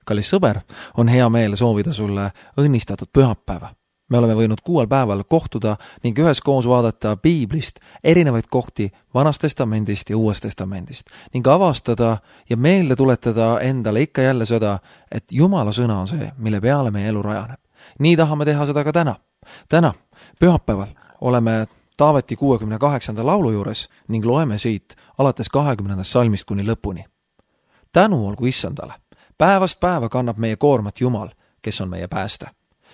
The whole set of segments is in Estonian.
Kallis sõber, on hea meel soovida sulle õnnistatud pühapäeva. Me oleme võinud 6 päeval kohtuda ning üheskoos vaadata piiblist erinevaid kohti Vanast Testamendist ja Uuest Testamendist ning avastada ja meelde tuletada endale ikka jälle seda, et Jumala sõna on see, mille peale meie elu rajaneb. Nii tahame teha seda ka täna. Täna, pühapäeval, oleme Taaveti 68. laulu juures ning loeme siit alates 20. salmist kuni lõpuni. Tänu olgu Issandale. Päevast päeva kannab meie koormat Jumal, kes on meie pääste.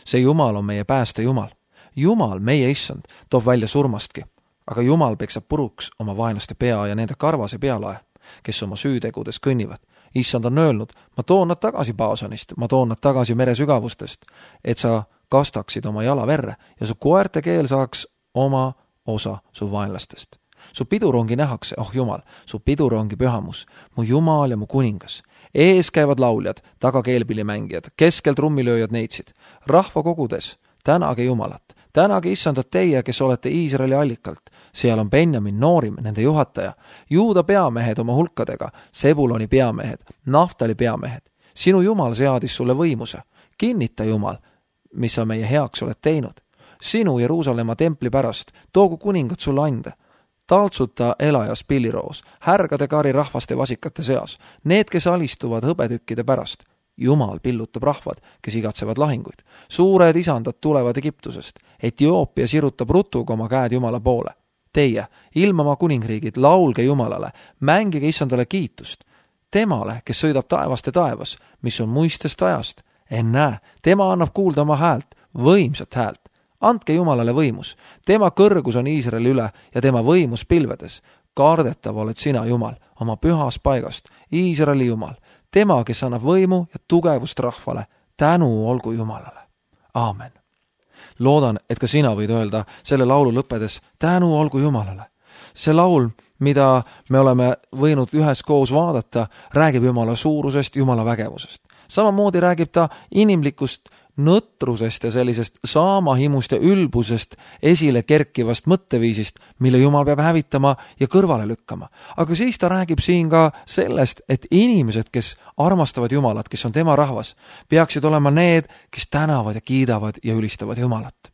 See Jumal on meie pääste Jumal. Jumal, meie Issand, toob välja surmastki, aga Jumal peksab puruks oma vaenlaste pea ja nende karvase pealae, kes oma süütegudes kõnnivad. Issand on öelnud, ma toon nad tagasi Baasanist, ma toon nad tagasi mere sügavustest, et sa kastaksid oma jala verre ja su koerte keel saaks oma osa su vaenlastest. Su pidurongi nähakse, oh Jumal, su pidurongi pühamus, mu Jumal ja mu kuningas. Ees käivad lauljad, taga keelpillimängijad, keskel trummilööjad neitsid. Rahva kogudes, tänage Jumalat, tänage Issandat teie, kes olete Iisraeli allikalt. Seal on Benjamin noorim, nende juhataja, Juuda peamehed oma hulkadega, Sebuloni peamehed, Naftali peamehed. Sinu Jumal seadis sulle võimuse. Kinnita Jumal, mis sa meie heaks oled teinud. Sinu Jeruusalemma templi pärast, toogu kuningad sulle ande. Taltsuta elajas pilliroos, härgade kari rahvaste vasikate seas, need, kes alistuvad hõbetükkide pärast. Jumal pillutab rahvad, kes igatsevad lahinguid. Suured isandad tulevad Egiptusest. Etioopia sirutab rutuga oma käed Jumala poole. Teie, ilmamaa kuningriigid, laulge Jumalale, mängige Issandale kiitust. Temale, kes sõidab taevast ja taevas, mis on muistest ajast. Ennäe, tema annab kuulda oma häält, võimsat häält. Andke Jumalale võimus. Tema kõrgus on Iisraeli üle ja tema võimus pilvedes. Kardetav oled sina, Jumal, oma pühas paigast, Iisraeli Jumal. Tema, kes annab võimu ja tugevust rahvale. Tänu olgu Jumalale. Aamen. Loodan, et ka sina võid öelda selle laulu lõppedes tänu olgu Jumalale. See laul, mida me oleme võinud üheskoos vaadata, räägib Jumala suurusest, Jumala vägevusest. Samamoodi räägib ta inimlikust nõtrusest ja sellisest saamahimust ja ülbusest esile kerkivast mõtteviisist, mille Jumal peab hävitama ja kõrvale lükkama. Aga siis ta räägib siin ka sellest, et inimesed, kes armastavad Jumalat, kes on tema rahvas, peaksid olema need, kes tänavad ja kiidavad ja ülistavad Jumalat.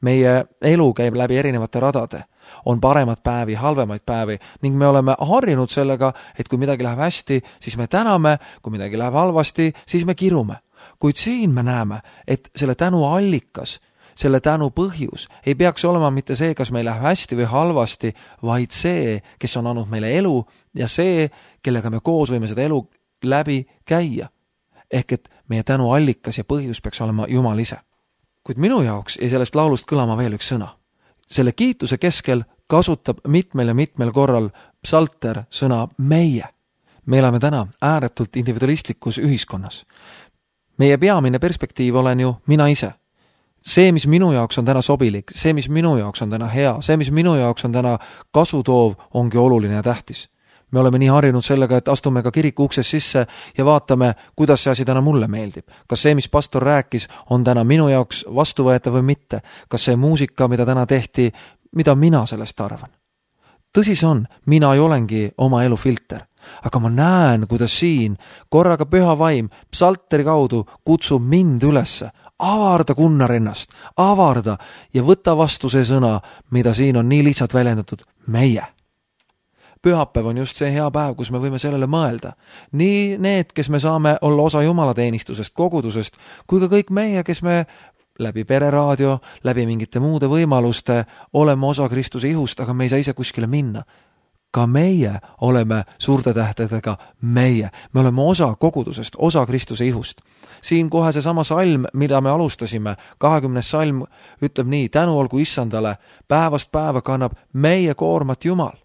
Meie elu käib läbi erinevate radade. On paremad päevi, halvemaid päevi ning me oleme harjunud sellega, et kui midagi läheb hästi, siis me täname, kui midagi läheb halvasti, siis me kirume. Kuid siin me näeme, et selle tänu allikas, selle tänu põhjus ei peaks olema mitte see, kas meil läheb hästi või halvasti, vaid see, kes on andnud meile elu ja see, kellega me koos võime seda elu läbi käia. Ehk et meie tänu allikas ja põhjus peaks olema Jumal ise. Kuid minu jaoks jäi sellest laulust kõlama veel üks sõna. Selle kiituse keskel kasutab mitmel ja mitmel korral psalter sõna meie. Me elame täna ääretult individualistlikus ühiskonnas. Meie peamine perspektiiv olen ju mina ise. See, mis minu jaoks on täna sobilik, see, mis minu jaoks on täna hea, see, mis minu jaoks on täna kasutoov, ongi oluline ja tähtis. Me oleme nii harjunud sellega, et astume ka kiriku ukses sisse ja vaatame, kuidas see asi täna mulle meeldib. Kas see, mis pastor rääkis, on täna minu jaoks vastuvõetav või mitte? Kas see muusika, mida täna tehti, mida mina sellest arvan? Tõsi see on, mina ei olengi oma elu filter. Aga ma näen, kuidas siin korraga püha vaim psalteri kaudu kutsub mind ülesse. Avarda kunnar ennast, avarda ja võta vastu see sõna, mida siin on nii lihtsalt väljendatud, meie. Pühapäev on just see hea päev, kus me võime sellele mõelda. Nii need, kes me saame olla osa jumalateenistusest, kogudusest, kui ka kõik meie, kes me läbi pereraadio, läbi mingite muude võimaluste oleme osa Kristuse ihust, aga me ei saa ise kuskile minna. Ka meie oleme suurte tähtedega meie. Me oleme osa kogudusest, osa Kristuse ihust. Siin kohe see sama salm, mida me alustasime, 20. salm ütleb nii, tänu olgu Issandale, päevast päeva kannab meie koormat Jumal,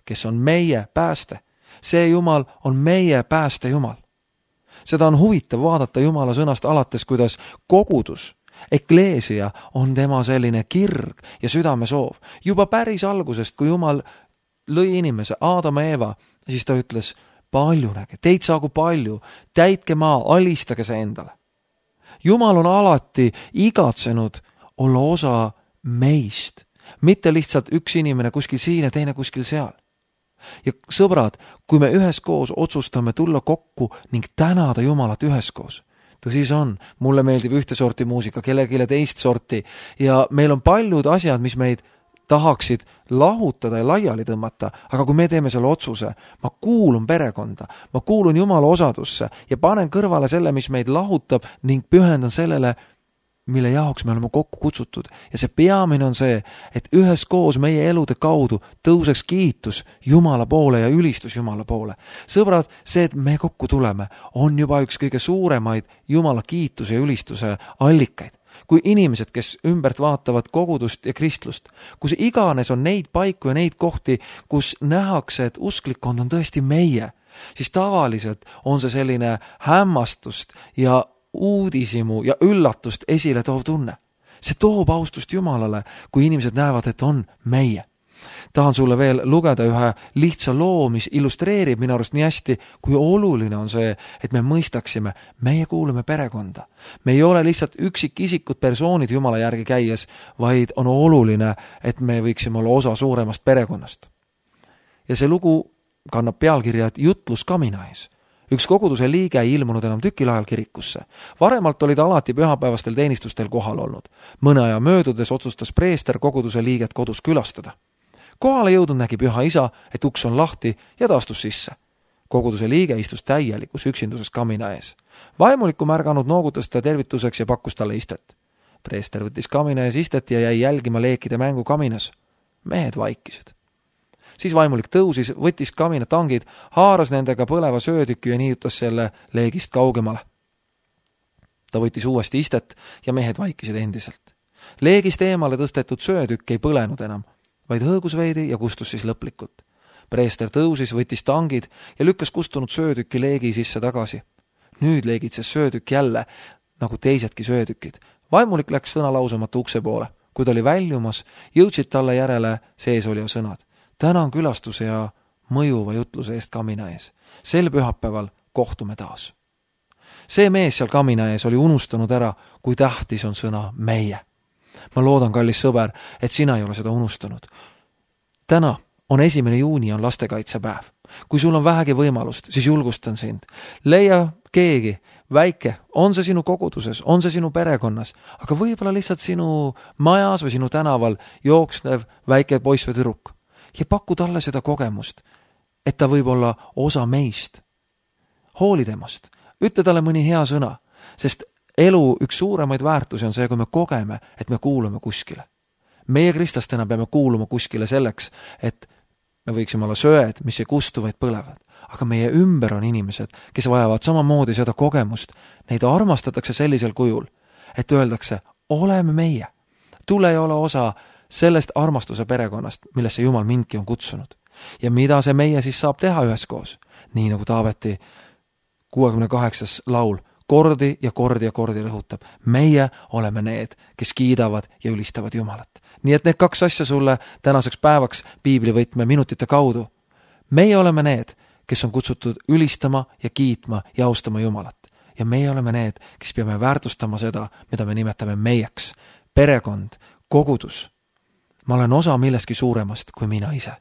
kes on meie pääste. See Jumal on meie pääste Jumal. Seda on huvitav vaadata Jumala sõnast alates, kuidas kogudus, ekleesia on tema selline kirg ja südamesoov. Juba päris algusest, kui Jumal lõi inimese, Aadama ja Eeva, siis ta ütles, paljunege, teid saagu palju, täitke maa, alistage see endale. Jumal on alati igatsenud olla osa meist, mitte lihtsalt üks inimene kuskil siin ja teine kuskil seal. Ja sõbrad, kui me üheskoos otsustame tulla kokku ning tänada Jumalat üheskoos, tõsi see on, mulle meeldib ühte sorti muusika, kellelegi teist sorti ja meil on paljud asjad, mis meid tahaksid lahutada ja laiali tõmmata, aga kui me teeme selle otsuse, ma kuulun perekonda, ma kuulun Jumala osadusse ja panen kõrvale selle, mis meid lahutab ning pühendan sellele, mille jaoks me oleme kokku kutsutud. Ja see peamine on see, et üheskoos meie elude kaudu tõuseks kiitus Jumala poole ja ülistus Jumala poole. Sõbrad, see, et me kokku tuleme, on juba üks kõige suuremaid Jumala kiituse ja ülistuse allikaid. Kui inimesed, kes ümbert vaatavad kogudust ja kristlust, kus iganes on neid paiku ja neid kohti, kus nähakse, et usklikkond on tõesti meie, siis tavaliselt on see selline hämmastust ja uudisimu ja üllatust esile toov tunne. See toob austust Jumalale, kui inimesed näevad, et on meie. Tahan sulle veel lugeda ühe lihtsa loo, mis illustreerib minu arust nii hästi, kui oluline on see, et me mõistaksime, meie kuulume perekonda. Me ei ole lihtsalt üksikisikud persoonid Jumala järgi käies, vaid on oluline, et me võiksime olla osa suuremast perekonnast. Ja see lugu kannab pealkirja, et jutlus kamina ees. Üks koguduse liige ei ilmunud enam tükil ajal kirikusse. Varemalt olid alati pühapäevastel teenistustel kohal olnud. Mõne aja möödudes otsustas preester koguduse liiget kodus külastada. Kohale jõudnud nägi püha isa, et uks on lahti ja ta astus sisse. Koguduse liige istus täielikus üksinduses kamina ees. Vaimulikku märganud noogutas ta tervituseks ja pakkus talle istet. Preester võttis kamina ees istet ja jäi jälgima leekide mängu kaminas. Mehed vaikisid. Siis vaimulik tõusis, võttis kamina tangid, haaras nendega põleva söötüki ja niiutas selle leegist kaugemale. Ta võttis uuesti istet ja mehed vaikisid endiselt. Leegist eemale tõstetud söötükk ei põlenud enam, vaid hõõgus veidi ja kustus siis lõplikult. Preester tõusis, võttis tangid ja lükkas kustunud söötüki leegi sisse tagasi. Nüüd leegitses söötükk jälle, nagu teisedki söötükid. Vaimulik läks sõna lausumata ukse poole. Kui ta oli väljumas, jõudsid talle järele seesolija sõnad. Tänan külastuse ja mõjuva jutluse eest kamina ees. Sel pühapäeval kohtume taas. See mees seal kamina ees oli unustanud ära, kui tähtis on sõna meie. Ma loodan, kallis sõber, et sina ei ole seda unustanud. Täna on 1. juuni, on lastekaitsepäev. Kui sul on vähegi võimalust, siis julgustan sind. Leia keegi, väike, on see sinu koguduses, on see sinu perekonnas, aga võib-olla lihtsalt sinu majas või sinu tänaval jooksnev väike poiss või tüdruk. Ja paku talle seda kogemust, et ta võib olla osa meist. Hooli temast, ütle talle mõni hea sõna, sest elu üks suuremaid väärtusi on see, kui me kogeme, et me kuulume kuskile. Meie kristlastena peame kuuluma kuskile selleks, et me võiksime olla söed, mis ei kustu, vaid põlevad. Aga meie ümber on inimesed, kes vajavad samamoodi seda kogemust. Neid armastatakse sellisel kujul, et öeldakse, oleme meie. Tule ei ole osa sellest armastuse perekonnast, millesse Jumal mindki on kutsunud. Ja mida see meie siis saab teha üheskoos? Nii nagu Taaveti 68. laul kordi ja kordi rõhutab. Meie oleme need, kes kiidavad ja ülistavad Jumalat. Nii et need kaks asja sulle tänaseks päevaks piiblivõtme minutite kaudu. Meie oleme need, kes on kutsutud ülistama ja kiitma ja austama Jumalat. Ja meie oleme need, kes peame väärtustama seda, mida me nimetame meieks. Perekond, kogudus. Ma olen osa millestki suuremast kui mina ise.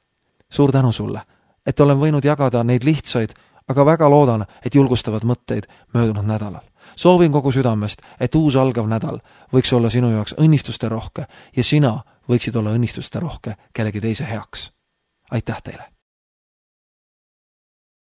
Suur tänu sulle, et olen võinud jagada neid lihtsaid, aga väga loodan, et julgustavad mõtteid möödunud nädalal. Soovin kogu südamest, et uus algav nädal võiks olla sinu jaoks õnnistuste rohke ja sina võiksid olla õnnistuste rohke kellegi teise heaks. Aitäh teile!